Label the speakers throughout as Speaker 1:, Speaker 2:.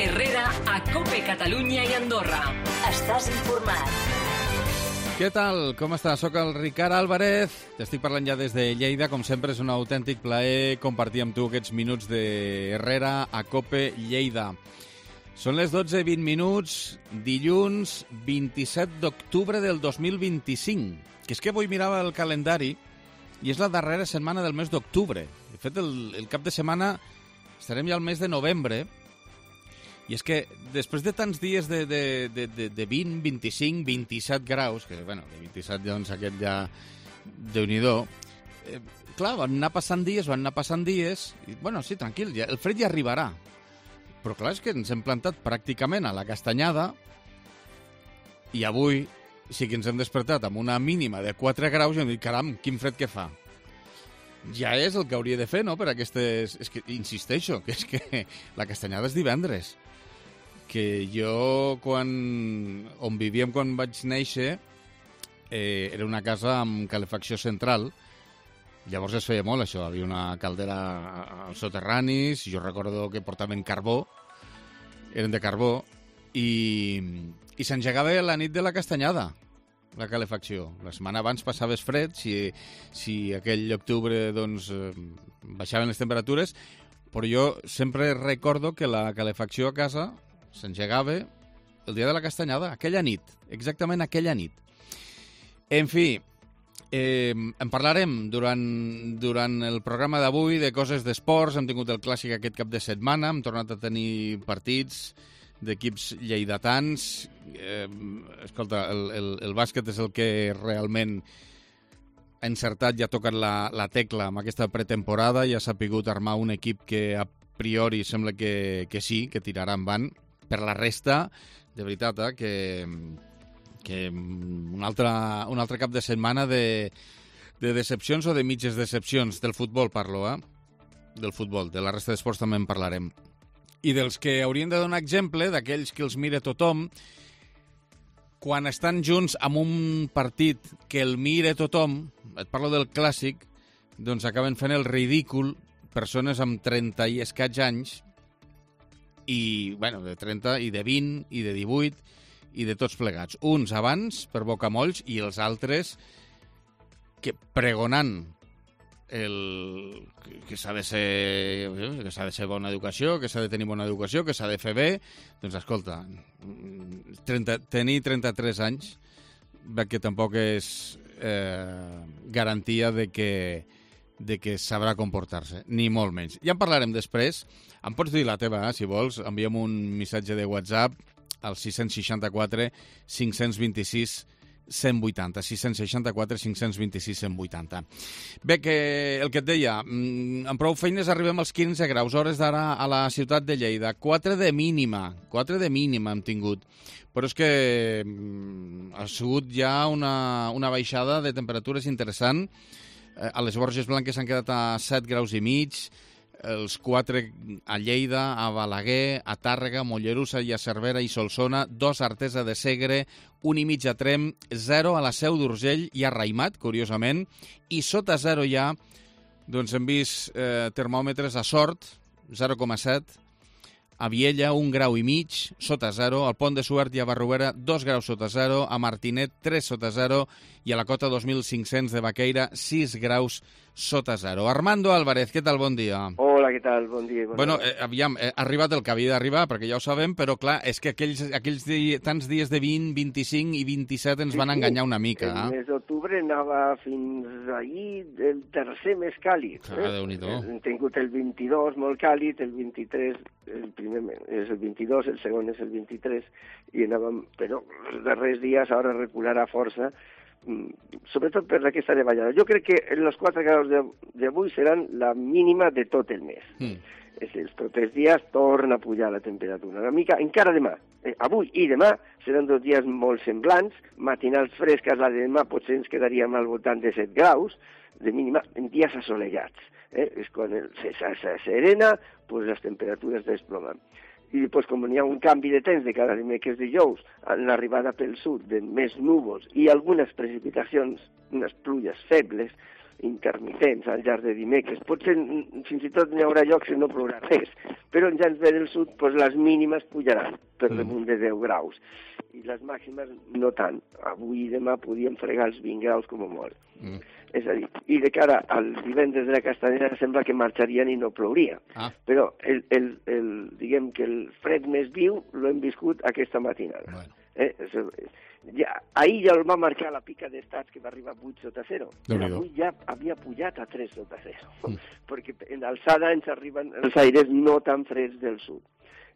Speaker 1: Herrera a COPE Catalunya i Andorra. Estàs informat.
Speaker 2: Què tal? Com estàs? Soc el Ricard Álvarez. T'estic parlant ja des de Lleida. Com sempre, és un autèntic plaer compartir amb tu aquests minuts de Herrera a COPE Lleida. Són les 12:20, dilluns 27 d'octubre del 2025. Que és que avui mirava el calendari i és la darrera setmana del mes d'octubre. De fet, el cap de setmana estarem ja al mes de novembre. I és que després de tants dies de 20, 25, 27 graus, que, bueno, de 27, doncs, aquest ja, Déu-n'hi-do, clar, van anar passant dies, i, bueno, sí, tranquil, ja, el fred ja arribarà. Però, clar, és que ens hem plantat pràcticament a la castanyada i avui sí que ens hem despertat amb una mínima de 4 graus i hem dit, caram, quin fred que fa. Ja és el que hauria de fer, no?, per aquestes... És que, insisteixo, que és que la castanyada és divendres. Que jo, on vivíem quan vaig néixer, era una casa amb calefacció central. Llavors es feia molt, això. Havia una caldera als soterranis, jo recordo que portaven carbó, eren de carbó, i s'engegava la nit de la castanyada, la calefacció. La setmana abans passaves fred, si aquell octubre doncs, baixaven les temperatures, però jo sempre recordo que la calefacció a casa s'engegava el dia de la castanyada, aquella nit, exactament aquella nit. En fi, en parlarem durant el programa d'avui de coses d'esports. Hem tingut el clàssic aquest cap de setmana, hem tornat a tenir partits d'equips lleidatans. Escolta, el bàsquet és el que realment ha encertat i ha tocat la tecla amb aquesta pretemporada i ha sapigut armar un equip que a priori sembla que sí, que tirarà endavant. Per la resta, de veritat, que un altre cap de setmana de decepcions o de mitges decepcions. Del futbol parlo, del futbol. De la resta d'esports també en parlarem. I dels que haurien de donar exemple, d'aquells que els mira tothom, quan estan junts amb un partit que el mira tothom, et parlo del clàssic, doncs acaben fent el ridícul persones amb 30 i escaig anys, i, bueno, de 30 i de 20 i de 18 i de tots plegats. Uns abans per bocamolls i els altres que pregonant que s'ha de ser bona educació, que s'ha de tenir bona educació, que s'ha de fer bé. Doncs escolta, tenir 33 anys que tampoc és garantia de que sabrà comportar-se, ni molt menys. Ja en parlarem després. Em pots dir la teva, si vols. Enviem un missatge de WhatsApp al 664 526 180. 664 526 180. Bé, que el que et deia, amb prou feines arribem als 15 graus, hores d'ara a la ciutat de Lleida. 4 de mínima hem tingut. Però és que ha sigut ja una baixada de temperatures interessant. A les Borges Blanques s'han quedat a 7 graus i mig, els 4 a Lleida, a Balaguer, a Tàrrega, Mollerussa i a Cervera i Solsona, 2 a Artesa de Segre, 1,5 a Tremp, 0 a la Seu d'Urgell i a Raïmat, curiosament, i sota 0 ja, doncs hem vist termòmetres a Sort, 0,7, a Viella, 1 grau i mig, sota 0, al Pont de Suert i a Barruera, 2 graus sota 0, a Martinet, 3 sota 0, i a la cota 2500 de Baqueira, 6 graus sota 0. Armando Álvarez, què tal? Bon dia.
Speaker 3: Hola, què tal? Bon dia.
Speaker 2: Bueno, aviam, ha arribat el que havia d'arribar, perquè ja ho sabem, però clar, és que aquells tants dies de 20, 25 i 27 ens van enganyar una mica.
Speaker 3: El mes d'octubre anava fins ahir el tercer més càlid.
Speaker 2: Déu-n'hi-do.
Speaker 3: Hem tingut el 22 molt càlid, el 23, el primer és el 22, el segon és el 23, i anàvem, però els darrers dies ara recularà força, sobretot per aquesta davallada. Jo crec que els 4 graus d'avui seran la mínima de tot el mes. Els propers dies torna a pujar la temperatura una mica, encara demà. Avui i demà seran 2 dies molt semblants, matinals fresques, la de demà potser ens quedaríem al voltant de 7 graus de mínima en dies assolellats. És quan se serena, pues les temperatures desplomen. I després, com hi ha un canvi de temps de cada dimecres dijous, en l'arribada pel sud de més núvols i algunes precipitacions, unes pluges febles, intermitents al llarg de dimecres. Potser fins i tot n'hi haurà llocs que no plourà res, però en gens ve del sud les mínimes pujaran per damunt de 10 graus i les màximes no tant. Avui i demà podíem fregar els 20 graus com a molt. És a dir, i de cara al divendres de la Castanyada sembla que marxarien i no plouria. Però diguem que el fred més viu l'hem viscut aquesta matinada. Ahir ja el va marcar la pica d'estats que va arribar a 8 sota 0. Avui ja havia pujat a 3 sota 0, perquè en alçada ens arriben els aires no tan freds del sud.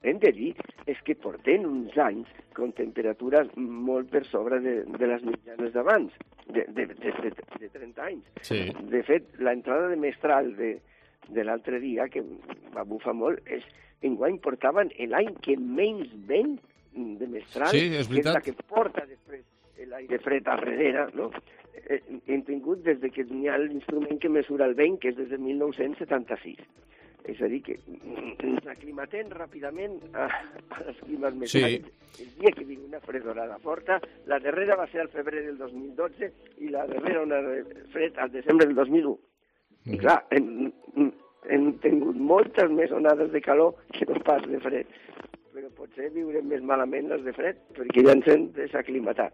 Speaker 3: Hem de dir és que portem uns anys amb temperatures molt per sobre de les mitjanes d'abans, de 30 anys.
Speaker 2: Sí.
Speaker 3: De fet, l'entrada de mestral de l'altre dia, que va bufar molt, enguany portaven l'any que menys vent de mestral,
Speaker 2: que és la
Speaker 3: que porta després l'aire fred a darrere, no? Hem tingut des que hi ha l'instrument que mesura el vent, que és des de 1976. És a dir, que ens aclimatem ràpidament als climes més càlids. El dia que vingui una fredorada forta, la darrera va ser al febrer del 2012 i la darrera una fred al desembre del 2001. I clar, hem tingut moltes més onades de calor que no pas de fred. Però potser viurem més malament les de fred, perquè ja ens hem desaclimatat.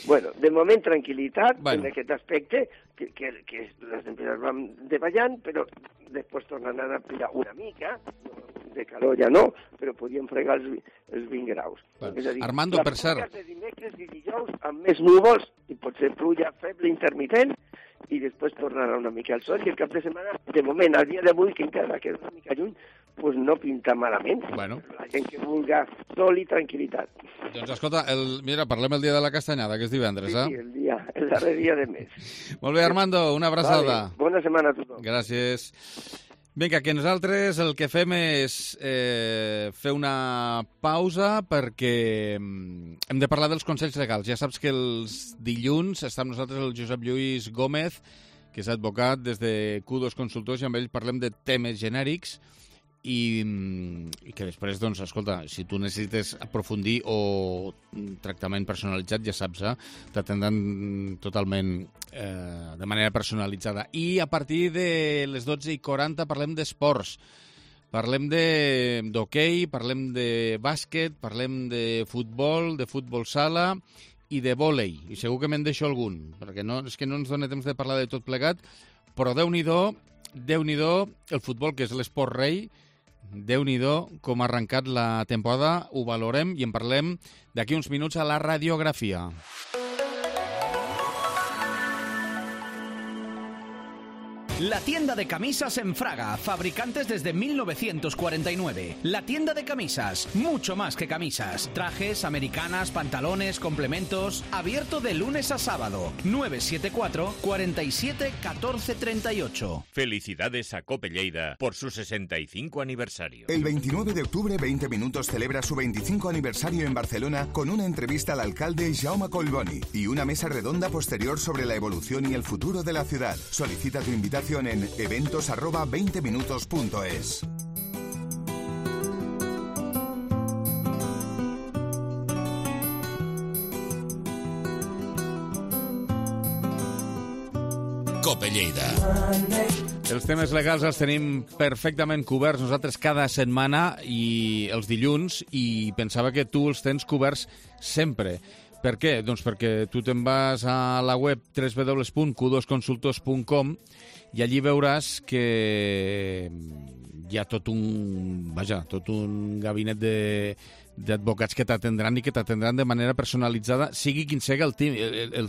Speaker 3: Bueno, de moment tranquil·litat en aquest aspecte, que les temperatures van davallant, però després tornen a pujar una mica, de calor ja no, però podíem fregar els 20 graus. És a dir,
Speaker 2: Armando, per cert,
Speaker 3: les de dimecres i dijous amb més núvols, i potser pluja feble intermitent, i després tornarà una mica el sol, i el cap de setmana, de moment, al dia d'avui, que encara queda una mica lluny, pues no pinta malament. La gent que vulga sol i tranquil·litat.
Speaker 2: Doncs escolta, mira, parlem el dia de la Castanyada, que és divendres,
Speaker 3: Sí, el darrer dia de mes.
Speaker 2: Molt bé, Armando, una abraçada.
Speaker 3: Bona setmana a tothom.
Speaker 2: Gràcies. Vinga, que nosaltres el que fem és fer una pausa perquè hem de parlar dels consells legals. Ja saps que els dilluns està amb nosaltres el Josep Lluís Gómez, que és advocat des de Q2 Consultors, i amb ell parlem de temes genèrics i que després, doncs, escolta, si tu necessites aprofundir o tractament personalitzat, ja saps, t'atendran totalment de manera personalitzada. I a partir de les 12:40 parlem d'esports. Parlem d'hoquei, parlem de bàsquet, parlem de futbol sala i de vòlei. I segur que me'n deixo algun, perquè és que no ens dona temps de parlar de tot plegat, però Déu-n'hi-do, el futbol, que és l'esport rei, Déu-n'hi-do com ha arrencat la temporada, ho valorem i en parlem d'aquí uns minuts a la radiografia.
Speaker 4: La tienda de camisas en Fraga, fabricantes desde 1949. La tienda de camisas, mucho más que camisas. Trajes, americanas, pantalones, complementos. Abierto de lunes a sábado. 974 47 14 38.
Speaker 5: Felicidades a Cope Lleida por su 65 aniversario.
Speaker 6: El 29 de octubre, 20 Minutos celebra su 25 aniversario en Barcelona con una entrevista al alcalde Jaume Collboni y una mesa redonda posterior sobre la evolución y el futuro de la ciudad. Solicita tu invitación en eventos@20minutos.es.
Speaker 5: Cope Lleida.
Speaker 2: Els temes legals els tenim perfectament coberts nosaltres cada setmana i els dilluns, i pensava que tu els tens coberts sempre. Per què? Doncs perquè tu te'n vas a la web www.q2consultors.com i allí veuràs que hi ha tot un gabinet d'advocats que t'atendran i que t'atendran de manera personalitzada, sigui quin sigui el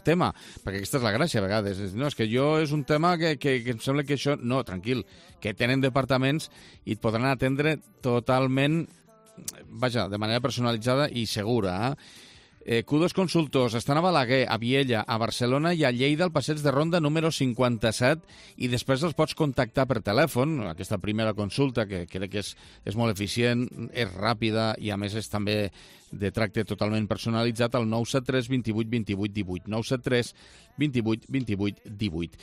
Speaker 2: tema, perquè aquesta és la gràcia a vegades. No, és que és un tema que em sembla que això... No, tranquil, que tenen departaments i et podran atendre totalment, de manera personalitzada i segura, Q2 Consultors estan a Balaguer, a Viella, a Barcelona i a Lleida, al passeig de Ronda número 57, i després els pots contactar per telèfon. Aquesta primera consulta, que crec que és molt eficient, és ràpida i a més és també de tracte totalment personalitzat, al 973 28 28 18, 973 28 28 18.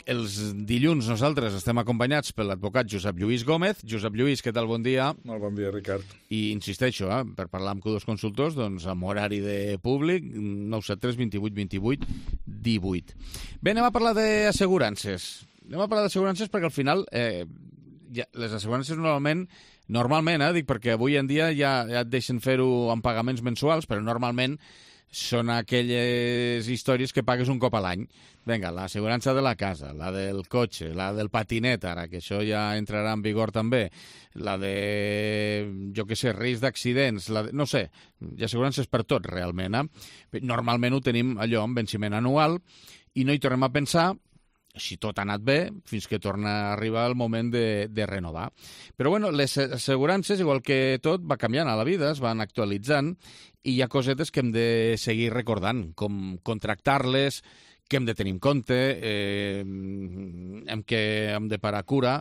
Speaker 2: Els dilluns nosaltres estem acompanyats per l'advocat Josep Lluís Gómez. Josep Lluís, què tal? Bon dia.
Speaker 7: Molt bon dia, Ricard.
Speaker 2: I insisteixo, per parlar amb Q2 Consultors, doncs amb horari de públic, 973 28 28 18. Bé, anem a parlar d'assegurances. Perquè al final les assegurances normalment, dic perquè avui en dia ja et deixen fer-ho amb pagaments mensuals, però normalment són aquelles històries que pagues un cop a l'any. Vinga, l'assegurança de la casa, la del cotxe, la del patinet, ara, que això ja entrarà en vigor també, la de, jo què sé, risc d'accidents, no sé, hi ha assegurances per tot, realment. Normalment ho tenim allò amb venciment anual i no hi tornem a pensar si tot ha anat bé, fins que torna a arribar el moment de renovar. Però bueno, les assegurances, igual que tot, va canviant a la vida, es van actualitzant, i hi ha cosetes que hem de seguir recordant, com contractar-les, que hem de tenir en compte, que hem de parar cura,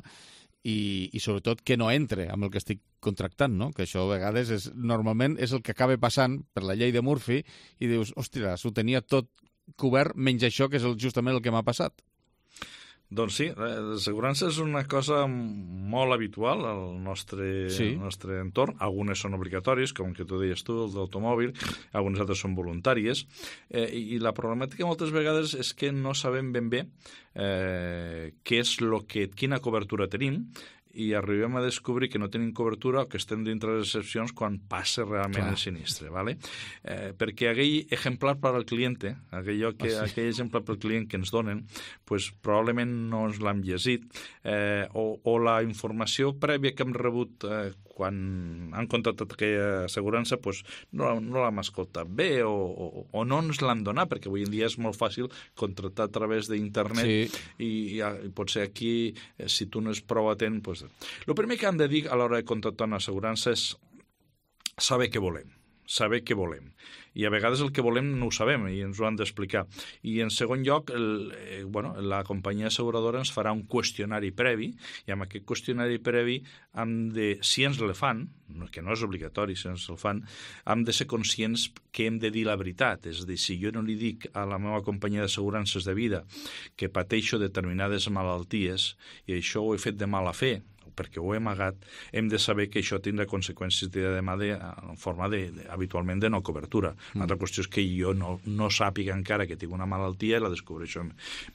Speaker 2: i sobretot que no entre amb el que estic contractant, no? Que això a vegades normalment és el que acaba passant per la llei de Murphy, i dius, ostres, ho tenia tot cobert, menys això, que és justament el que m'ha passat.
Speaker 7: Doncs sí, l'assegurança és una cosa molt habitual al nostre entorn. Algunes són obligatòries, com que tu deies tu, els d'automòbil, algunes altres són voluntàries, i la problemàtica moltes vegades és que no sabem ben bé quina cobertura tenim, i arribem a descobrir que no tenim cobertura o que estem dintre de les excepcions quan passa realment el sinistre, ¿vale? Perquè aquell exemplar per al client, aquell exemplar per al client que ens donen, pues, probablement no ens l'hem llegit, o la informació prèvia que hem rebut quan han contractat aquella assegurança, pues, no l'hem escoltat bé o no ens l'han donat, perquè avui en dia és molt fàcil contractar a través d'internet, i potser aquí, si tu no és prou atent, pues, el primer que hem de dir a l'hora de contractar una assegurança és saber què volem. I a vegades el que volem no ho sabem i ens ho han d'explicar. I en segon lloc, la companyia asseguradora ens farà un qüestionari previ, i amb aquest qüestionari previ si ens el fan, que no és obligatori, si ens el fan, hem de ser conscients que hem de dir la veritat. És a dir, si jo no li dic a la meva companyia d'assegurances de vida que pateixo determinades malalties i això ho he fet de mala fe, perquè ho he amagat, hem de saber que això tindrà conseqüències en forma habitualment de no cobertura. Una altra qüestió és que jo no sàpiga encara que tinc una malaltia i la descobreixo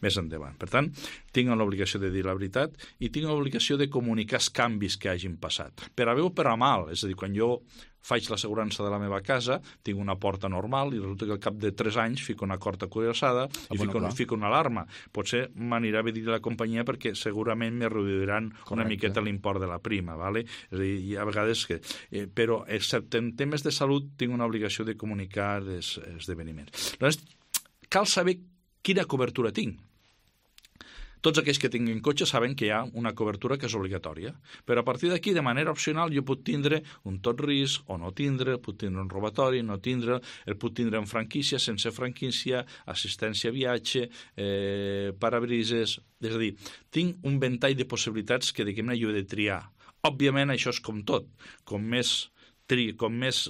Speaker 7: més endavant. Per tant, tinc l'obligació de dir la veritat i tinc l'obligació de comunicar els canvis que hagin passat. Per a bé o per a mal, és a dir, quan jo faig l'assegurança de la meva casa, tinc una porta normal i resulta que al cap de 3 anys fico una corda cuirassada i fico una alarma. Potser m'anirà bé dir a la companyia perquè segurament me reduiran una miqueta l'import de la prima, ¿vale? És a dir, hi ha vegades que... però, excepte en temes de salut, tinc una obligació de comunicar els esdeveniments. Llavors, cal saber quina cobertura tinc. Tots aquells que tinguin cotxe saben que hi ha una cobertura que és obligatòria, però a partir d'aquí, de manera opcional, jo puc tindre un tot risc o no tindre, puc tindre un robatori, no tindre, el puc tindre en franquícia, sense franquícia, assistència a viatge, parabrises... És a dir, tinc un ventall de possibilitats que, diguem-ne, jo he de triar. Òbviament, això és com tot. Com més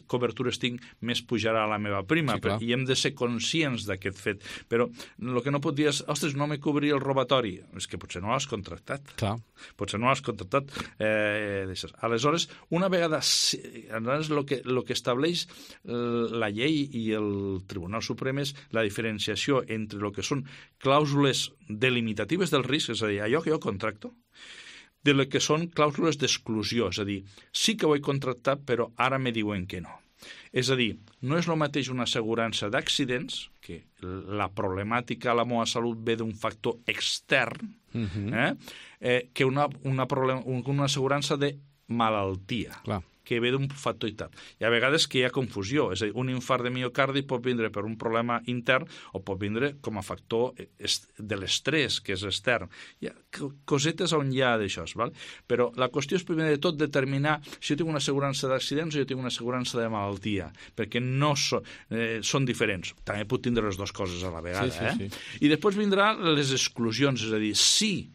Speaker 7: cobertures tinc, més pujarà la meva prima, i hem de ser conscients d'aquest fet. Però el que no pot dir és, ostres, no me cobria el robatori. És que potser no l'has contractat. Potser no l'has contractat. Aleshores, una vegada... El que estableix la llei i el Tribunal Suprem és la diferenciació entre el que són clàusules delimitatives del risc, és a dir, allò que jo contracto, de les que són clàusules d'exclusió, és a dir, sí que ho he contractat, però ara me diuen que no. És a dir, no és el mateix una assegurança d'accidents, que la problemàtica a la meva salut ve d'un factor extern, que una assegurança de malaltia. Que ve d'un factor intern. I a vegades que hi ha confusió, és a dir, un infart de miocardi pot vindre per un problema intern o pot vindre com a factor de l'estrès, que és extern. Hi ha cosetes on hi ha d'això, val? Però la qüestió és primer de tot determinar si jo tinc una assegurança d'accidents o jo tinc una assegurança de malaltia, perquè no són diferents. També puc tindre les dues coses a la vegada. I després vindran les exclusions, és a dir, si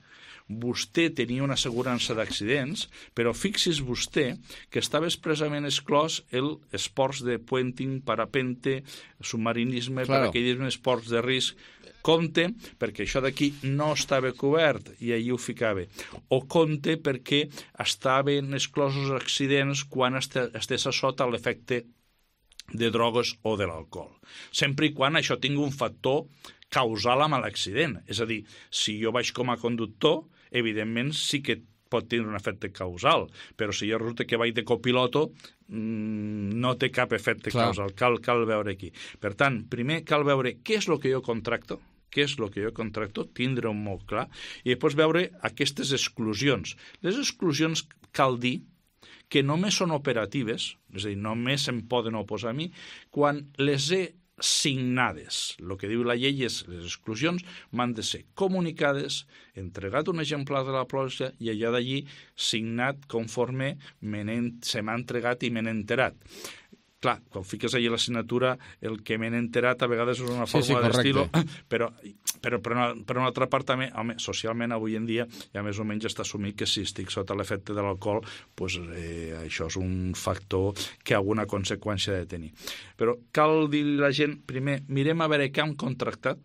Speaker 7: vostè tenia una assegurança d'accidents, però fixi's vostè que estava expressament exclòs el esports de puenting, parapente, submarinisme, paracaidisme, esports de risc. Compte, perquè això d'aquí no estava cobert i allí ho ficava. O compte perquè estaven exclosos accidents quan estés a sota l'efecte de drogues o de l'alcohol. Sempre i quan això tingui un factor causal amb l'accident. És a dir, si jo vaig com a conductor, evidentment sí que pot tenir un efecte causal, però si jo resulta que vaig de copiloto, no té cap efecte causal. Cal veure aquí. Per tant, primer cal veure què és el que jo contracto, tindre-ho molt clar, i després veure aquestes exclusions. Les exclusions cal dir que només són operatives, és a dir, només se'n poden oposar a mi, quan les he signades. El que diu la llei és les exclusions m'han de ser comunicades, entregat un exemplar de la pòlissa i allà d'allí signat conforme se m'ha entregat i me n'he enterat. Clar, quan fiques allà la signatura, el que m'he enterat a vegades és una forma d'estilo, però per una altra part també, home, socialment avui en dia ja més o menys està assumit que si estic sota l'efecte de l'alcohol, pues, això és un factor que alguna conseqüència ha de tenir. Però cal dir a la gent, primer, mirem a veure què han contractat,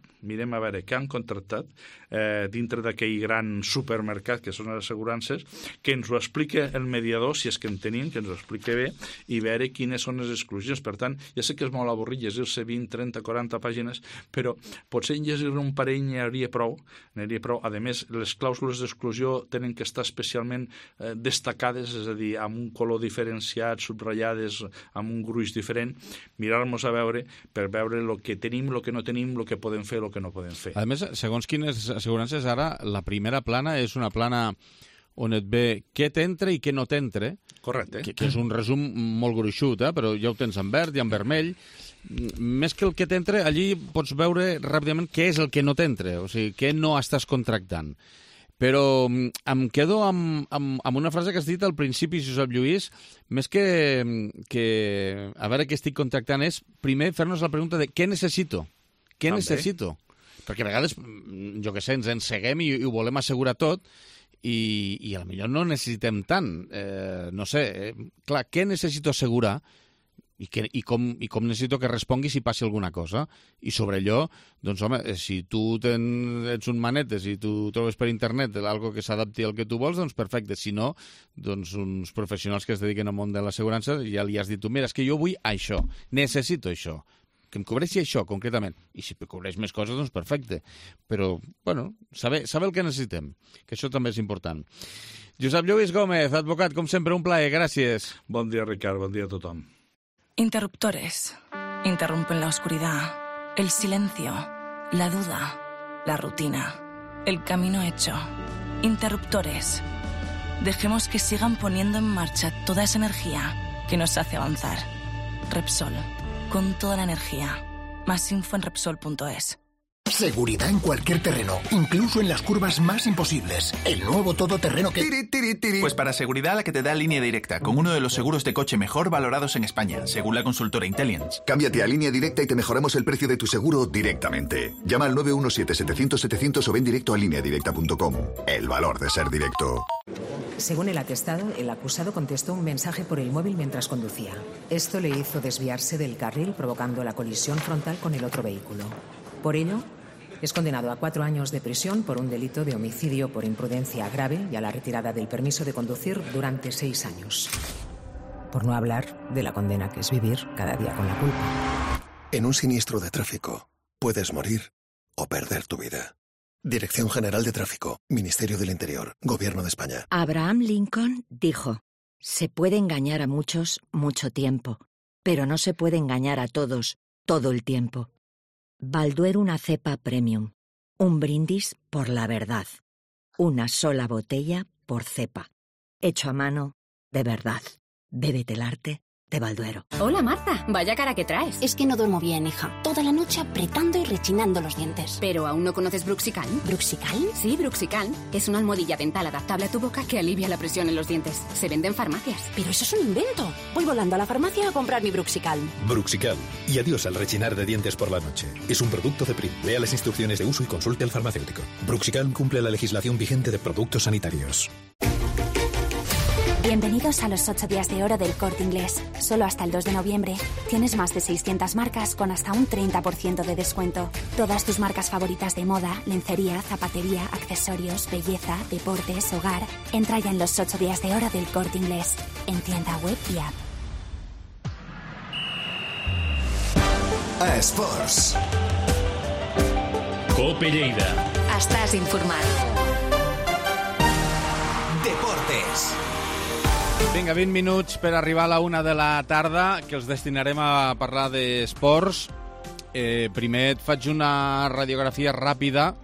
Speaker 7: dintre d'aquell gran supermercat que són les assegurances, que ens ho explica el mediador, si és que en tenim, que ens ho explica bé, i veure quines són les exclusions. Per tant, ja sé que és molt avorrit llegir-se 20, 30, 40 pàgines, però potser en llegir un parell n'hi hauria prou. A més, les clàusules d'exclusió tenen que estar especialment destacades, és a dir, amb un color diferenciat, subratllades, amb un gruix diferent, mirar-nos a veure per veure el que tenim, el que no tenim, el que podem fer, el que no podem fer.
Speaker 2: A més, segons quines assegurances, ara la primera plana és una plana on et ve què t'entra i què no t'entra.
Speaker 7: Correcte.
Speaker 2: Que és un resum molt gruixut, però ja ho tens en verd i en vermell. Més que el que t'entra, allí pots veure ràpidament què és el que no t'entra, o sigui, què no estàs contractant. Però em quedo amb una frase que has dit al principi, Josep Lluís, més que a veure què estic contractant és, primer, fer-nos la pregunta de què necessito. Què necessito? Perquè a vegades, jo què sé, ens enceguem i ho volem assegurar tot i a lo millor no necessitem tant. No sé, clar, què necessito assegurar i com necessito que respongui si passi alguna cosa. I sobre allò, doncs home, si tu ets un manetes i tu trobes per internet algo que s'adapti al que tu vols, doncs perfecte. Si no, doncs uns professionals que es dediquen al món de l'assegurança ja li has dit tu, mira, és que jo vull això, necessito això, que em cobreixi això, concretament. I si cobreix més coses, doncs perfecte. Però, bueno, saber el que necessitem, que això també és important. Josep Lluís Gómez, advocat, com sempre, un plaer, gràcies.
Speaker 7: Bon dia, Ricard, bon dia a tothom.
Speaker 8: Interruptores. Interrumpen la oscuridad, el silencio, la duda, la rutina, el camino hecho. Interruptores. Dejemos que sigan poniendo en marcha toda esa energía que nos hace avanzar. Repsol. Con toda la energía. Más info en Repsol.es.
Speaker 9: Seguridad en cualquier terreno, incluso en las curvas más imposibles. El nuevo todoterreno que...
Speaker 10: Pues para seguridad la que te da Línea Directa, con uno de los seguros de coche mejor valorados en España, según la consultora Intelliance.
Speaker 11: Cámbiate a Línea Directa y te mejoramos el precio de tu seguro directamente. Llama al 917-700-700 o ven directo a lineadirecta.com. El valor de ser directo.
Speaker 12: Según el atestado, el acusado contestó un mensaje por el móvil mientras conducía. Esto le hizo desviarse del carril, provocando la colisión frontal con el otro vehículo. Por ello, es condenado a 4 años de prisión por un delito de homicidio por imprudencia grave y a la retirada del permiso de conducir durante 6 años. Por no hablar de la condena que es vivir cada día con la culpa.
Speaker 9: En un siniestro de tráfico, puedes morir o perder tu vida. Dirección General de Tráfico, Ministerio del Interior, Gobierno de España.
Speaker 13: Abraham Lincoln dijo: se puede engañar a muchos mucho tiempo, pero no se puede engañar a todos todo el tiempo. Balduero, una cepa premium. Un brindis por la verdad. Una sola botella por cepa. Hecho a mano, de verdad. Bébete el arte de Balduero.
Speaker 14: Hola, Marta. Vaya cara que traes.
Speaker 15: Es que no duermo bien, hija. Toda la noche apretando y rechinando los dientes.
Speaker 14: ¿Pero aún no conoces Bruxicalm?
Speaker 15: ¿Bruxicalm?
Speaker 14: Sí, Bruxicalm. Es una almohadilla dental adaptable a tu boca que alivia la presión en los dientes. Se vende en farmacias.
Speaker 15: Pero eso es un invento. Voy volando a la farmacia a comprar mi Bruxicalm.
Speaker 16: Bruxicalm. Y adiós al rechinar de dientes por la noche. Es un producto de Prim. Lea las instrucciones de uso y consulte al farmacéutico. Bruxicalm cumple la legislación vigente de productos sanitarios.
Speaker 17: Bienvenidos a los 8 días de oro del Corte Inglés. Solo hasta el 2 de noviembre tienes más de 600 marcas con hasta un 30% de descuento. Todas tus marcas favoritas de moda, lencería, zapatería, accesorios, belleza, deportes, hogar. Entra ya en los 8 días de oro del Corte Inglés. En tienda web y app.
Speaker 11: A Esports.
Speaker 5: Cope Lleida.
Speaker 1: Estàs informat.
Speaker 11: Deportes.
Speaker 2: Vinga, 20 minuts per arribar a la 1 de la tarda, que els destinarem a parlar d'esports. Primer et faig una radiografia ràpida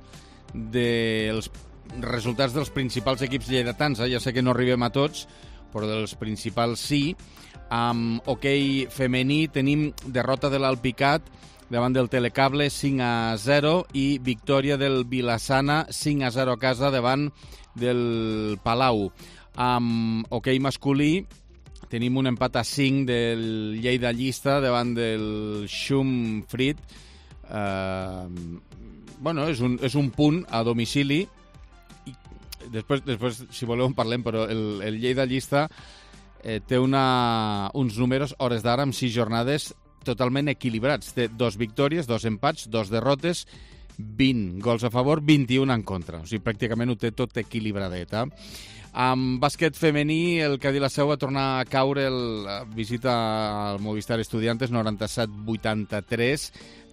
Speaker 2: dels resultats dels principals equips lleidatans. Ja sé que no arribem a tots, però dels principals sí. Amb hoquei femení tenim derrota de l'Alpicat davant del Telecable 5-0 i victòria del Vilassana 5-0 a casa davant del Palau. Amb hoquei masculí tenim un empat a 5 del Lleida Llista davant del Schumfried. Bueno, és un punt a domicili. Després, si voleu, en parlem, però el Lleida Llista té uns números, hores d'ara, amb 6 jornades totalment equilibrats. Té 2 victòries, 2 empats, 2 derrotes, 20 gols a favor, 21 en contra. O sigui, pràcticament ho té tot equilibradet. Amb bàsquet femení, el Cadí la Seu va tornar a caure la visita al Movistar Estudiantes 97-83.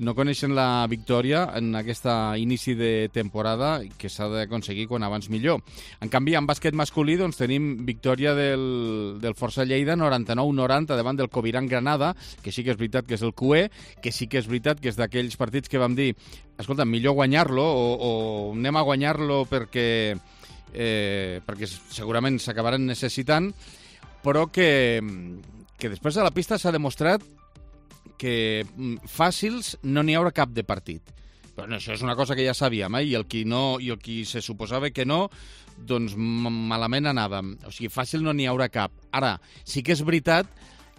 Speaker 2: No coneixen la victòria en aquest inici de temporada, que s'ha d'aconseguir quan abans millor. En canvi, en bàsquet masculí doncs, tenim victòria del Força Lleida 99-90 davant del Coviran Granada, que sí que és veritat que és el QE, que sí que és veritat que és d'aquells partits que vam dir, escolta, millor guanyar-lo o anem a guanyar-lo perquè segurament s'acabaran necessitant, però que després a la pista s'ha demostrat que fàcils no n'hi haurà cap de partit. Però no, això és una cosa que ja sabíem, i el qui se suposava que no, doncs malament anàvem. O sigui, fàcil no n'hi haurà cap. Ara, sí que és veritat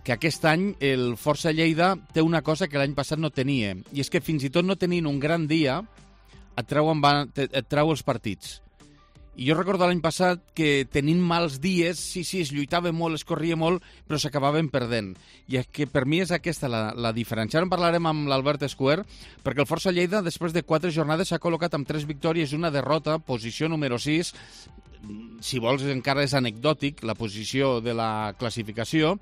Speaker 2: que aquest any el Força Lleida té una cosa que l'any passat no tenia, i és que fins i tot no tenint un gran dia et treu els partits. I jo recordo l'any passat que tenint mals dies, sí, es lluitava molt, es corria molt, però s'acabaven perdent. I és que per mi és aquesta la diferència. Ara en parlarem amb l'Albert Escuer, perquè el Força Lleida, després de 4 jornades, s'ha col·locat amb 3 victòries i una derrota, posició número 6. Si vols, encara és anecdòtic la posició de la classificació.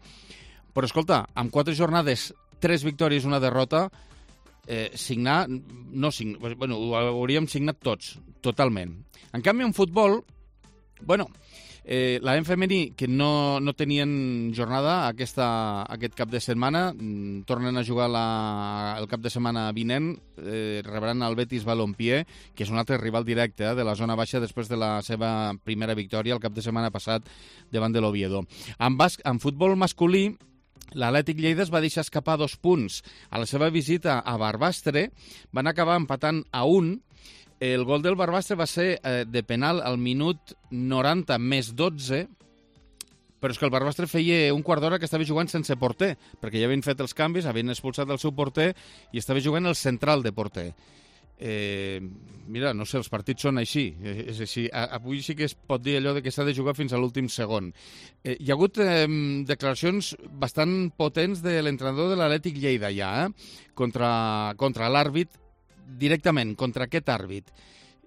Speaker 2: Però, escolta, amb 4 jornades, 3 victòries i una derrota, ho hauríem signat tots, totalment. En canvi, en futbol, l'AM femení, que no tenien jornada aquest cap de setmana, tornen a jugar el cap de setmana vinent, rebran el Betis Balompié, que és un altre rival directe de la zona baixa després de la seva primera victòria el cap de setmana passat davant de l'Oviedo. En futbol masculí, l'Atlètic Lleida es va deixar escapar 2 punts. A la seva visita a Barbastre van acabar empatant a 1. El gol del Barbastre va ser de penal al minut 90 més 12, però és que el Barbastre feia un quart d'hora que estava jugant sense porter, perquè ja havien fet els canvis, havien expulsat el seu porter i estava jugant el central de porter. Mira, no sé, els partits són així. És així. Avui sí que es pot dir allò de que s'ha de jugar fins a l'últim segon. Hi ha hagut declaracions bastant potents de l'entrenador de l'Atlètic Lleida ja, contra l'àrbit, directament, contra aquest àrbit.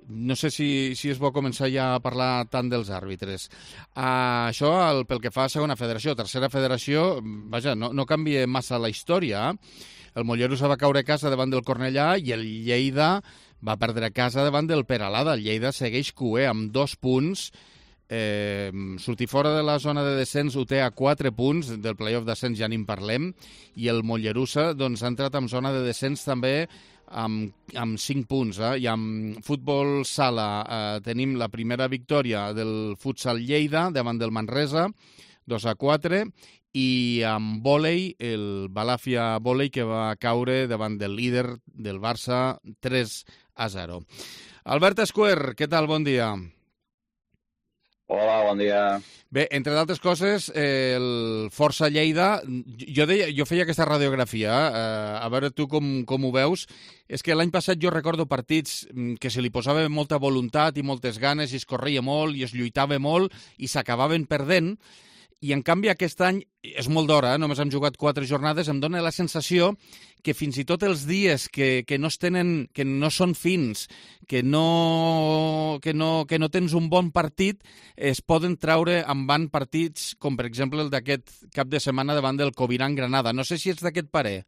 Speaker 2: No sé si és bo començar ja a parlar tant dels àrbitres. Això pel que fa a segona federació. Tercera federació, vaja, no canvia massa la història. El Mollerussa va caure a casa davant del Cornellà i el Lleida va perdre a casa davant del Peralada. El Lleida segueix QE amb 2 punts. Sortir fora de la zona de descens ho té a 4 punts, del playoff d'ascens ja n'hi parlem, i el Mollerussa doncs, ha entrat en zona de descens també amb 5 punts. I amb futbol sala tenim la primera victòria del futsal Lleida davant del Manresa, 2-4, i amb vòlei, el Balàfia Vòlei, que va caure davant del líder del Barça 3-0. Albert Escuer, què tal? Bon dia.
Speaker 18: Hola, bon dia.
Speaker 2: Bé, entre d'altres coses, el Força Lleida, jo feia aquesta radiografia, a veure tu com ho veus. És que l'any passat jo recordo partits que se li posava molta voluntat i moltes ganes i es corria molt i es lluitava molt i s'acabaven perdent. I, en canvi, aquest any, és molt d'hora, només hem jugat 4 jornades, em dóna la sensació que fins i tot els dies que no són fins, que no tens un bon partit, es poden treure en van partits, com per exemple el d'aquest cap de setmana davant del Coviran Granada. No sé si ets d'aquest parer.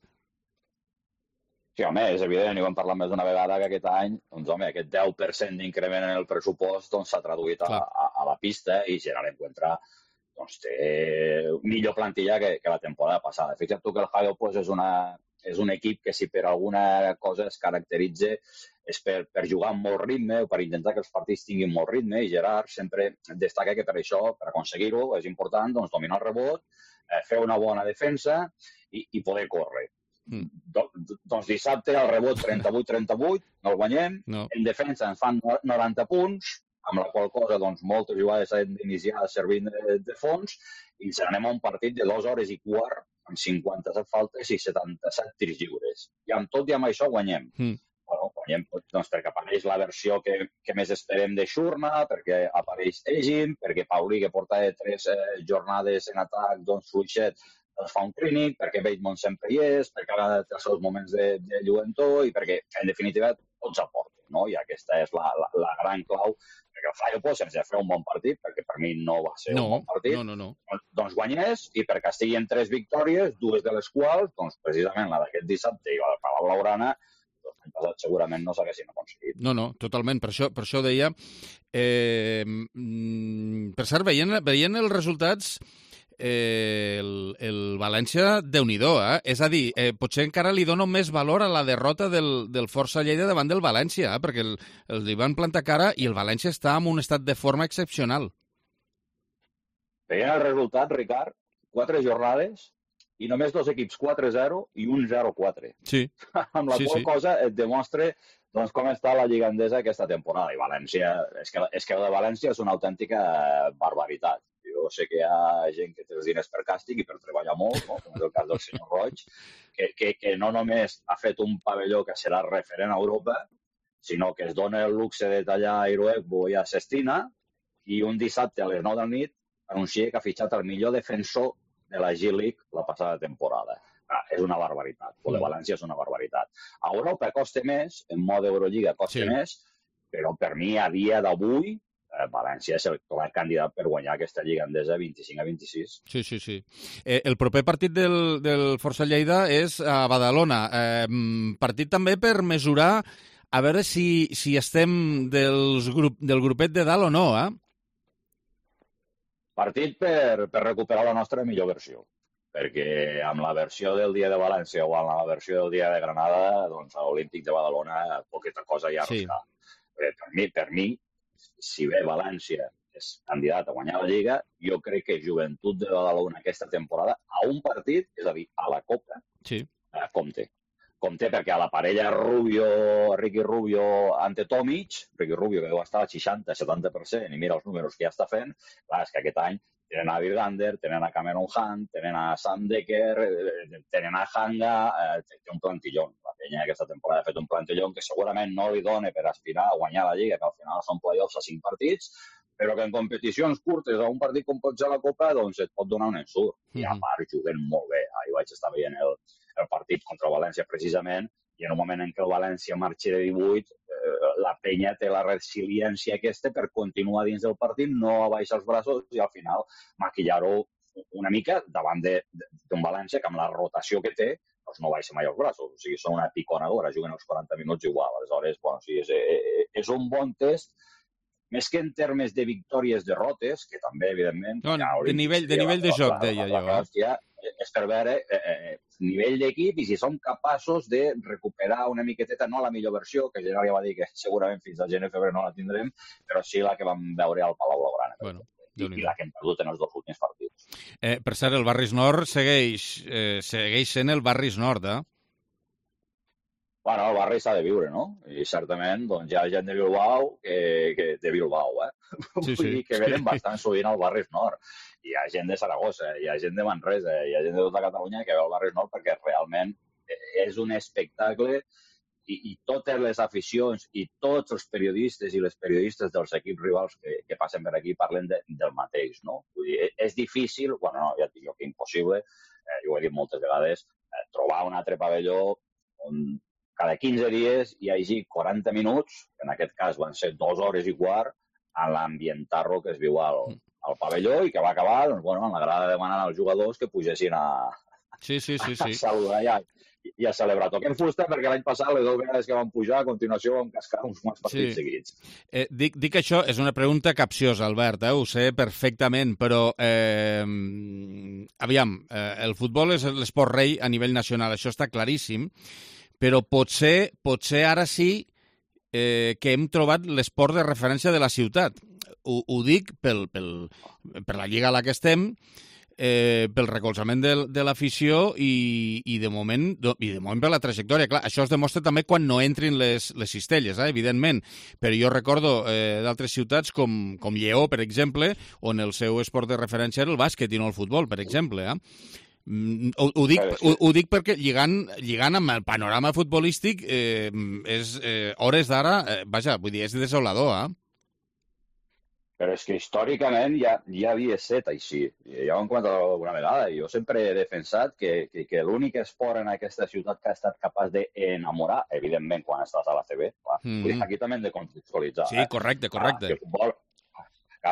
Speaker 18: Sí, home, és evident, i ho hem parlat més d'una vegada, que aquest any, doncs, home, aquest 10% d'increment en el pressupost s'ha traduït a la pista i Gerard Encuentra doncs té millor plantilla que la temporada passada. Fixa't tu que el Jaio pues, és un equip que si per alguna cosa es caracteritza és per jugar amb molt ritme o per intentar que els partits tinguin molt ritme, i Gerard sempre destaca que per això, per aconseguir-ho, és important doncs, dominar el rebot, fer una bona defensa i poder córrer. Doncs dissabte el rebot 38-38, no el guanyem, en defensa ens fan 90 punts, amb la qual cosa doncs, moltes jugades s'han d'iniciar servint de fons, i ens anem a un partit de 2 hores i quart, amb 57 faltes i 77 tirs lliures. I amb tot i amb això guanyem. Bueno, guanyem doncs, perquè apareix la versió que més esperem de Xurna, perquè apareix Egin, perquè Paulí, que porta 3 jornades en atac, doncs fluixet, es fa un clínic, perquè Bateman sempre hi és, perquè ara té els seus moments de lluentor i perquè, en definitiva, tots aporten, no? I aquesta és la gran clau, perquè el Jaio pues, sense fer un bon partit, perquè per mi no va ser un bon partit, doncs guanyés, i per Castilla en 3 victòries, 2 de les quals, doncs precisament la d'aquest dissabte i la de Palau Blaugrana, doncs l'any passat segurament no s'haguessin aconseguit.
Speaker 2: No, totalment, per això deia. Per cert, veient els resultats, el València, Déu-n'hi-do, És a dir, potser encara li dono més valor a la derrota del Força Lleida davant del València, perquè li van plantar cara i el València està en un estat de forma excepcional.
Speaker 18: Veient el resultat, Ricard, 4 jornades i només 2 equips 4-0 i un 0-4.
Speaker 2: Sí.
Speaker 18: Amb la qual cosa et demostra doncs, com està la Lliga Endesa aquesta temporada. I València, és que el de València és una autèntica barbaritat. Jo sé que hi ha gent que té els diners per càstig i per treballar molt, no? Com és el cas del senyor Roig, que no només ha fet un pavelló que serà referent a Europa, sinó que es dona el luxe de tallar a Iruegbu i a Sestina, i un dissabte a les 9 del nit anuncia que ha fitxat el millor defensor de la G-League la passada temporada. És una barbaritat. El de València és una barbaritat. A Europa costa més, en mode Eurolliga costa més, però per mi a dia d'avui València és el clar candidat per guanyar aquesta Lliga Endesa 25-26.
Speaker 2: Sí. El proper partit del Força Lleida és a Badalona. Partit també per mesurar a veure si estem del grupet de dalt o no,
Speaker 18: Partit per recuperar la nostra millor versió. Perquè amb la versió del dia de València o amb la versió del dia de Granada, doncs a l'Olímpic de Badalona poqueta cosa ja no està. Per mi, si bé València és candidat a guanyar la Lliga, jo crec que Joventut de Badalona aquesta temporada a un partit, és a dir, a la Copa, compte. Compte perquè a la parella Ricky Rubio ante Tomic, Ricky Rubio que deu estar al 60-70% i mira els números que ja està fent, clar, és que aquest any tenen a Virgander, tenen a Cameron Hunt, tenen a Sam Decker, tenen a Hanga, té un plantillón. La penya aquesta temporada ha fet un plantillón que segurament no li dona per aspirar a guanyar la Lliga, que al final són playoffs a 5 partits, però que en competicions curtes, a un partit com pot ser la Copa, doncs et pot donar un ensurt. I a part juguen molt bé. Ahir vaig estar veient el partit contra el València precisament, i en un moment en què el València marxa de 18, la penya té la resiliència aquesta per continuar dins del partit, no abaixar els braços i al final maquillar-ho una mica davant d'un València que amb la rotació que té doncs no baixa mai els braços. O sigui, són una piconadora, juguen els 40 minuts igual. Aleshores, bueno, sí, és un bon test, més que en termes de victòries-derrotes, que també, evidentment...
Speaker 2: No, de nivell de joc, deia jo.
Speaker 18: Hòstia, és per veure nivell d'equip i si som capaços de recuperar una miqueteta, no la millor versió, que Gerard ja va dir que segurament fins al gener-febrer no la tindrem, però sí la que vam veure al Palau Blaugrana.
Speaker 2: Bueno,
Speaker 18: i la que hem perdut en els 2 últims partits.
Speaker 2: Per cert, el Barris Nord segueix sent el Barris Nord,
Speaker 18: Bueno, el barri s'ha de viure, no? I certament doncs, hi ha gent de Bilbao de Bilbao,
Speaker 2: Sí,
Speaker 18: Vull dir que venen bastant sovint al Barris Nord. Hi ha gent de Saragossa, hi ha gent de Manresa, hi ha gent de tota Catalunya que veu el Barris Nord perquè realment és un espectacle i totes les aficions i tots els periodistes i les periodistes dels equips rivals que passen per aquí parlen del mateix, no? Vull dir, és difícil, bueno, no, ja et dic jo que impossible, jo ho he dit moltes vegades, trobar un altre pavelló on cada 15 dies hi hagi 40 minuts, que en aquest cas van ser 2 hores i quart, a l'ambientarro que es viu al pavelló i que va acabar, doncs, bueno, m'agrada demanar als jugadors que pugessin a saludar i a celebrar. Toquem fusta perquè l'any passat, les 2 vegades que vam pujar, a continuació vam cascar uns quants partits seguits.
Speaker 2: Dic que això és una pregunta capciosa, Albert, ho sé perfectament, però aviam, el futbol és l'esport rei a nivell nacional, això està claríssim, però potser ara sí que hem trobat l'esport de referència de la ciutat. Ho dic per la lliga a la que estem, pel recolzament de l'afició i de moment per la trajectòria. Clar, això es demostra també quan no entrin les cistelles, evidentment. Però jo recordo d'altres ciutats com Lleó, per exemple, on el seu esport de referència era el bàsquet i no el futbol, per exemple. Ho dic perquè lligant amb el panorama futbolístic hores d'ara, vaja, vull dir, és desolador,
Speaker 18: Però és que històricament ja havia estat així. Ja ho hem comentat alguna vegada. Jo sempre he defensat que l'únic esport en aquesta ciutat que ha estat capaç d'enamorar, evidentment, quan estàs a la CB, aquí també hem de contextualitzar.
Speaker 2: Sí, correcte.
Speaker 18: El futbol,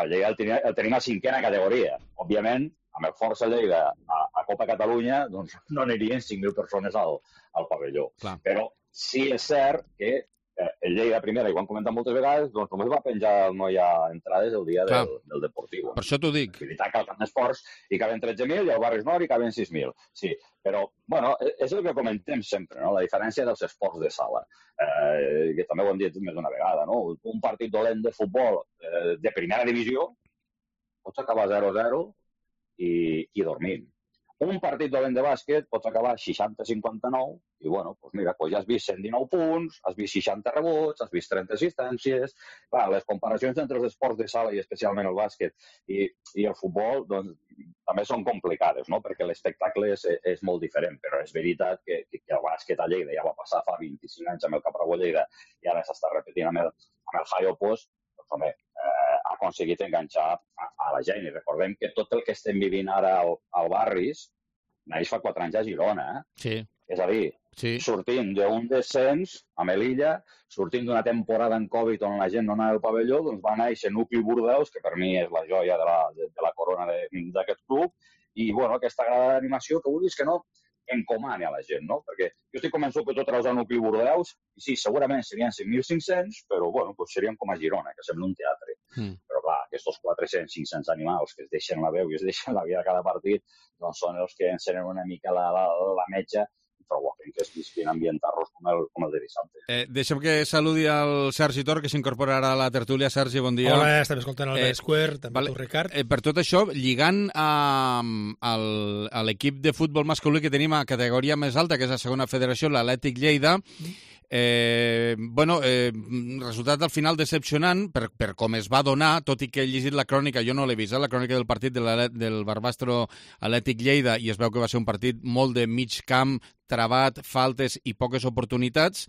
Speaker 18: el tenim a 5a categoria. Òbviament, amb el Força Lleida a Copa Catalunya, doncs no anirien 5.000 persones al pavelló.
Speaker 2: Clar.
Speaker 18: Però sí és cert que el Lleida primera, i ho han comentat moltes vegades, doncs només va penjar no hi ha entrades el dia del Deportiu.
Speaker 2: Per això t'ho dic.
Speaker 18: Activitat que al camp d'esports hi caben 13.000 i al Barris Nord hi caben 6.000. Sí, però, bueno, és el que comentem sempre, no? La diferència dels esports de sala, que també ho hem dit més d'una vegada, no? Un partit dolent de futbol de primera divisió pots acabar 0-0 i dormint. Un partit dolent de bàsquet pots acabar 60-59 i, bueno, doncs mira, ja has vist 119 punts, has vist 60 rebots, has vist 30 assistències. Clar, les comparacions entre els esports de sala i especialment el bàsquet i el futbol, doncs, també són complicades, no? Perquè l'espectacle és molt diferent, però és veritat que el bàsquet a Lleida ja va passar fa 25 anys amb el Caprabo Lleida i ara s'està repetint amb el Jaio Post, doncs, home, ha aconseguit enganxar a la gent. I recordem que tot el que estem vivint ara al Barris naix fa 4 anys a Girona.
Speaker 2: Sí.
Speaker 18: És a dir, sortint d'un descens a Melilla, sortint d'una temporada en Covid on la gent no anava al pavelló, doncs va néixer Nucli Bordeus, que per mi és la joia de la corona d'aquest club, i bueno, aquesta gran animació que vulguis que no encomani a la gent, no? Perquè jo estic convençut que tu treus a Nucli Bordeus, i sí, segurament serien 5.500, però bueno, doncs serien com a Girona, que sembla un teatre. Però clar, aquests 400-500 animals que es deixen la veu i es deixen la vida a cada partit, doncs són els que encenen una mica la metja i provoquen que es visquin ambientar-los com el de dissabte.
Speaker 2: Deixa'm que saludi al Sergi Tor, que s'incorporarà a la tertúlia. Sergi, bon dia.
Speaker 19: Hola, estem escoltant el Square, també tu, Ricard.
Speaker 2: Per tot això, lligant a l'equip de futbol masculí que tenim a categoria més alta, que és la segona federació, l'Atlètic Lleida, resultat al final decepcionant per com es va donar, tot i que he llegit la crònica, jo no l'he vist, la crònica del partit del Barbastro Atlètic Lleida, i es veu que va ser un partit molt de mig camp, travat, faltes i poques oportunitats,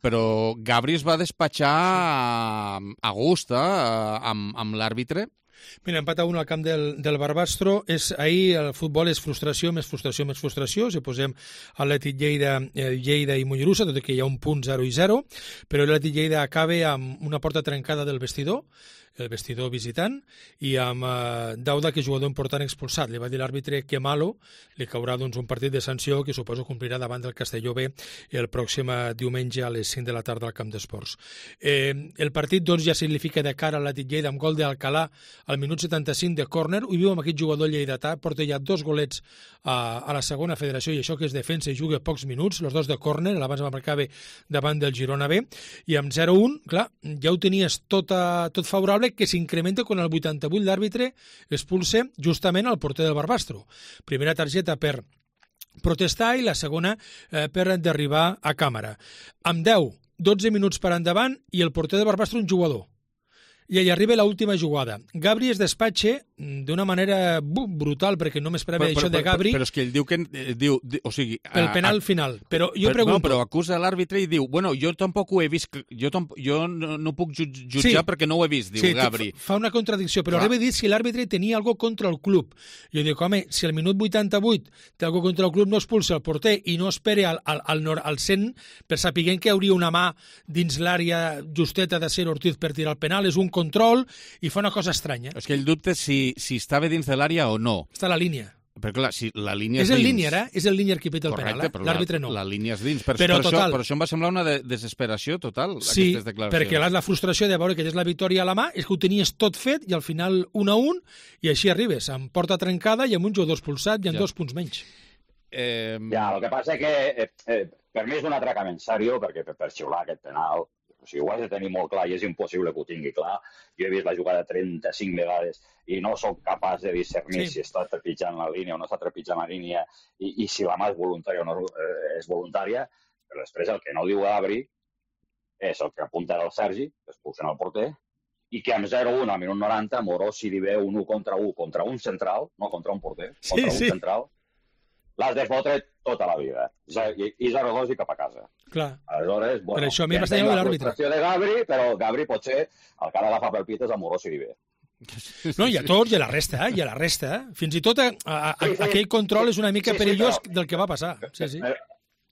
Speaker 2: però Gabri es va despatxar a gust amb l'àrbitre.
Speaker 19: Mira, empat a 1 al camp del Barbastro. Ahir el futbol és frustració, més frustració, més frustració. Si posem Atlètic Lleida i Mollerussa, tot i que hi ha un punt 0-0, però l'Atlètic Lleida acaba amb una porta trencada del vestidor visitant, i amb Dauda, que és jugador important, expulsat. Li va dir l'àrbitre que malo, li caurà un partit de sanció que suposo complirà davant del Castelló B el pròxim diumenge a les 5 de la tarda al camp d'esports. El partit ja significa de cara a l'Atlètic Lleida amb gol d'Alcalà al minut 75 de córner. Ho viu amb aquest jugador lleidatà, porta ja 2 golets a la segona federació, i això que és defensa i juga pocs minuts, els 2 de córner, l'abans va marcar bé davant del Girona B, i amb 0-1, clar, ja ho tenies tot favorable, sembla que s'incrementa quan al 88 l'àrbitre expulsa justament al porter del Barbastro. Primera targeta per protestar i la segona per d'arribar a càmera. Amb 10-12 minuts per endavant i el porter del Barbastro un jugador. I allà arriba l'última jugada. Gabri es despatxa d'una manera brutal, perquè no m'esperava això de Gabri.
Speaker 2: Però és que ell diu que... o sigui...
Speaker 19: El penal final. Però jo pregunto...
Speaker 2: No, però acusa l'àrbitre i diu, bueno, jo tampoc ho he vist, jo no puc jutjar perquè no ho he vist, diu Gabri.
Speaker 19: Fa una contradicció, però arriba a dir si l'àrbitre tenia alguna contra el club. Jo dic, home, si al minut 88 té alguna contra el club, no expulsa el porter i no espera al 100 per saber que hauria una mà dins l'àrea justeta de ser Ortiz per tirar el penal, és un control i fa una cosa estranya.
Speaker 2: És que ell dubta si estava dins de l'àrea o no.
Speaker 19: Està a la línia.
Speaker 2: Però clar, si la línia és
Speaker 19: el
Speaker 2: dins...
Speaker 19: línia, és el línia que peta el penal, l'àrbitre no.
Speaker 2: La línia és dins. Per
Speaker 19: total...
Speaker 2: això em va semblar una desesperació total,
Speaker 19: sí,
Speaker 2: aquestes declaracions.
Speaker 19: perquè la frustració de veure que és la victòria a la mà és que ho tenies tot fet i al final 1-1 i així arribes, amb porta trencada i amb un jugador expulsat i amb 2 punts menys.
Speaker 18: Ja, el que passa és que per mi és un atracament seriós, perquè per xiular aquest penal, o sigui, ho has de tenir molt clar i és impossible que ho tingui clar. Jo he vist la jugada 35 vegades i no soc capaç de discernir si està trepitjant la línia o no està trepitjant la línia i si la mà és voluntària o no és voluntària, però després el que no diu Gabri és el que apunta el Sergi, que expulsen el porter, i que amb 0-1 al minut 90 Morós si li ve un 1 contra un central, no contra un porter, contra un central, l'has de fotre tota la vida. I 0-2 i cap a casa.
Speaker 19: Clar.
Speaker 18: Aleshores, bueno,
Speaker 19: per això a mi m'està de l'àrbitre.
Speaker 18: La frustració de Gabri, però Gabri potser el que ha d'agafar pel pit és el Morós i li ve.
Speaker 19: No, i a tots, i a la resta. Fins i tot aquell control és una mica perillós del que va passar. Sí.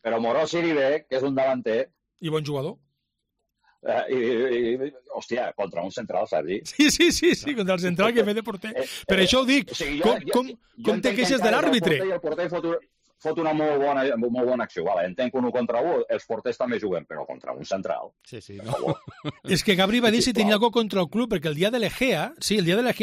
Speaker 18: Però Morós i li ve, que és un davanter...
Speaker 19: I bon jugador.
Speaker 18: Hòstia, contra un central, Sergi.
Speaker 19: Sí, contra el central que ve de porter. Per això ho dic, com te queixes de l'àrbitre?
Speaker 18: El porter fot una molt bona acció. Vale, entenc que un 1 contra 1, els porters també juguen, però contra un central.
Speaker 2: Sí, no.
Speaker 19: És que Gabri va dir si tenia alguna contra el club, perquè el dia de l'Egea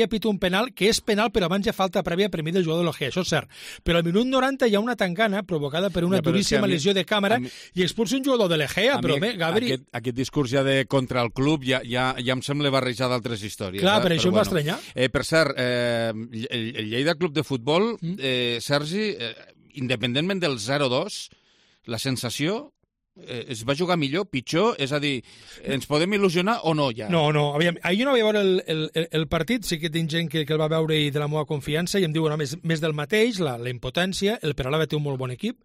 Speaker 19: pita un penal, que és penal, però abans ja falta prèvia per mi del jugador de l'Egea, això és cert. Però al minut 90 hi ha una tangana provocada per una duríssima lesió de càmera i expulsa un jugador de l'Egea, però bé, Gabri...
Speaker 2: Aquest discurs ja de contra el club ja em sembla barrejar d'altres històries.
Speaker 19: Clar, per això em va estranyar.
Speaker 2: Per cert, el Lleida Club de Futbol, Sergi... independentment del 0-2, la sensació es va jugar millor, pitjor? És a dir, ens podem il·lusionar o no ja?
Speaker 19: No, aviam, ahir no vaig veure el partit, sí que tinc gent que el va veure i de la meva confiança i em diuen més del mateix, la impotència, el Peralada té un molt bon equip,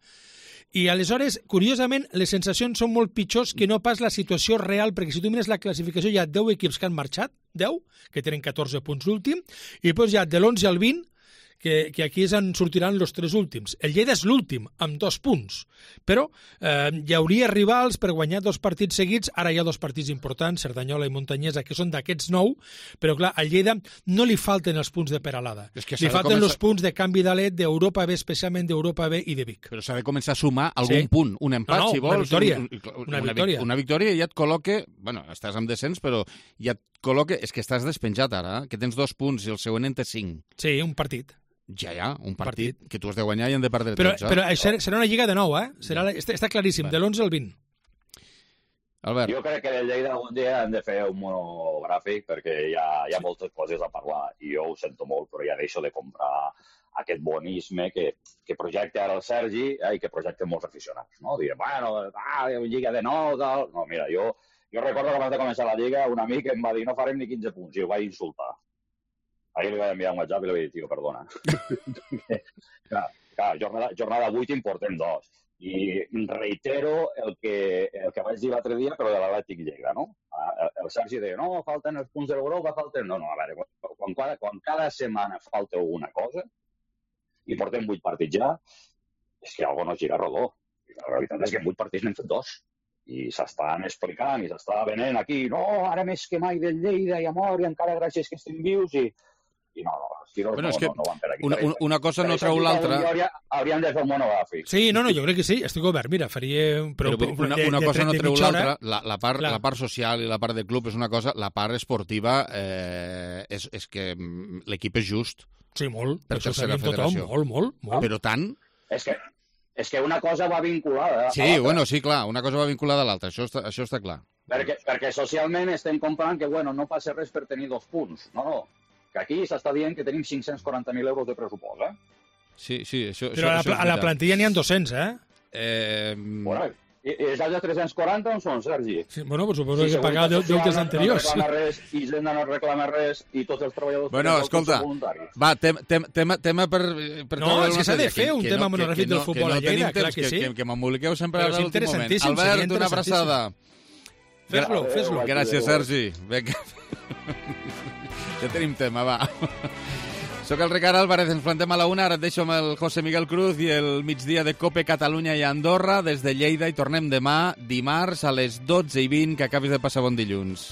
Speaker 19: i aleshores, curiosament, les sensacions són molt pitjors que no pas la situació real, perquè si tu mires la classificació hi ha 10 equips que han marxat, 10, que tenen 14 punts l'últim, i després hi ha de l'11 al 20, que aquí en sortiran els 3 últims. El Lleida és l'últim, amb 2 punts. Però hi hauria rivals per guanyar 2 partits seguits. Ara hi ha 2 partits importants, Cerdanyola i Muntanyesa, que són d'aquests 9, però clar, al Lleida no li falten els punts de Peralada. Li falten els punts de canvi d'alet d'Europa B, especialment d'Europa B i de Vic.
Speaker 2: Però s'ha de començar a sumar algun punt, un empat, si vols.
Speaker 19: Una victòria.
Speaker 2: Una victòria i ja et col·loca... Bueno, estàs amb descens, però ja et col·loca... És que estàs despenjat ara, que tens 2 punts i el següent en té 5.
Speaker 19: Sí, un partit.
Speaker 2: Ja, un partit que tu has de guanyar i han de perdre tots.
Speaker 19: Però serà una lliga de nou, està claríssim, de l'11 al 20.
Speaker 2: Albert.
Speaker 18: Jo crec que del Lleida algun dia hem de fer un monogràfic perquè hi ha moltes coses a parlar i jo ho sento molt, però ja deixo de comprar aquest bonisme que projecta ara el Sergi i que projecten molts aficionats. No? Dir, bueno, lliga de nou, tal... No, mira, jo recordo que abans de començar la lliga un amic em va dir no farem ni 15 punts i ho vaig insultar. Ahir li vaig enviar un WhatsApp i li vaig dir, tio, perdona. Clar, jornada 8 en portem 2. I reitero el que vaig dir l'altre dia, però de l'Atlètic Lleida, no? El Sergi deia, no, falten els punts de l'Europa, falten... No, a veure, quan cada setmana falta alguna cosa, i portem 8 partits ja, és que alguna no gira rodó. I la realitat és que en 8 partits n'hem fet 2. I s'estan explicant, i s'està venent aquí, no, ara més que mai del Lleida i amor, i encara gràcies que estem vius, i no, els tiros no van per aquí.
Speaker 2: Una cosa no treu l'altra.
Speaker 18: Hauríem de fer un monogràfic.
Speaker 19: Sí, no, jo crec que sí, estic obert. Mira, faria...
Speaker 2: Però una cosa no treu l'altra. La part social i la part de club és una cosa, la part esportiva és que l'equip és just.
Speaker 19: Sí, molt. Per això sabem tothom, molt.
Speaker 2: Però tant...
Speaker 18: És que una cosa va vinculada...
Speaker 2: Sí, bueno, sí, clar, una cosa va vinculada a l'altra, això està clar.
Speaker 18: Perquè socialment estem comprant que, bueno, no passa res per tenir 2 punts. No. Que aquí s'està dient que tenim 540.000 euros de pressupost,
Speaker 2: Sí, això...
Speaker 19: Però a la plantilla n'hi ha 200,
Speaker 18: Bueno, i els altres 340 on són, Sergi?
Speaker 19: Sí, bueno, pues suposo que pagar deutes anteriors.
Speaker 18: No reclama res, Hisenda no reclama res, i tots els treballadors...
Speaker 2: Bueno, escolta, va, tema per...
Speaker 19: No, és que s'ha de fer un tema monogràfic del futbol a Lleida, clar que sí.
Speaker 2: Que m'emboliqueu sempre a l'últim moment.
Speaker 19: Interessantíssim,
Speaker 2: Albert, una abraçada.
Speaker 19: Fes-lo.
Speaker 2: Gràcies, Sergi. Vinga. Ja tenim tema, va. Soc el Ricard Álvarez, ens plantem a la 1, ara et deixo amb el José Miguel Cruz i el migdia de Cope Catalunya i Andorra des de Lleida i tornem demà, dimarts, a les 12:20, que acabis de passar bon dilluns.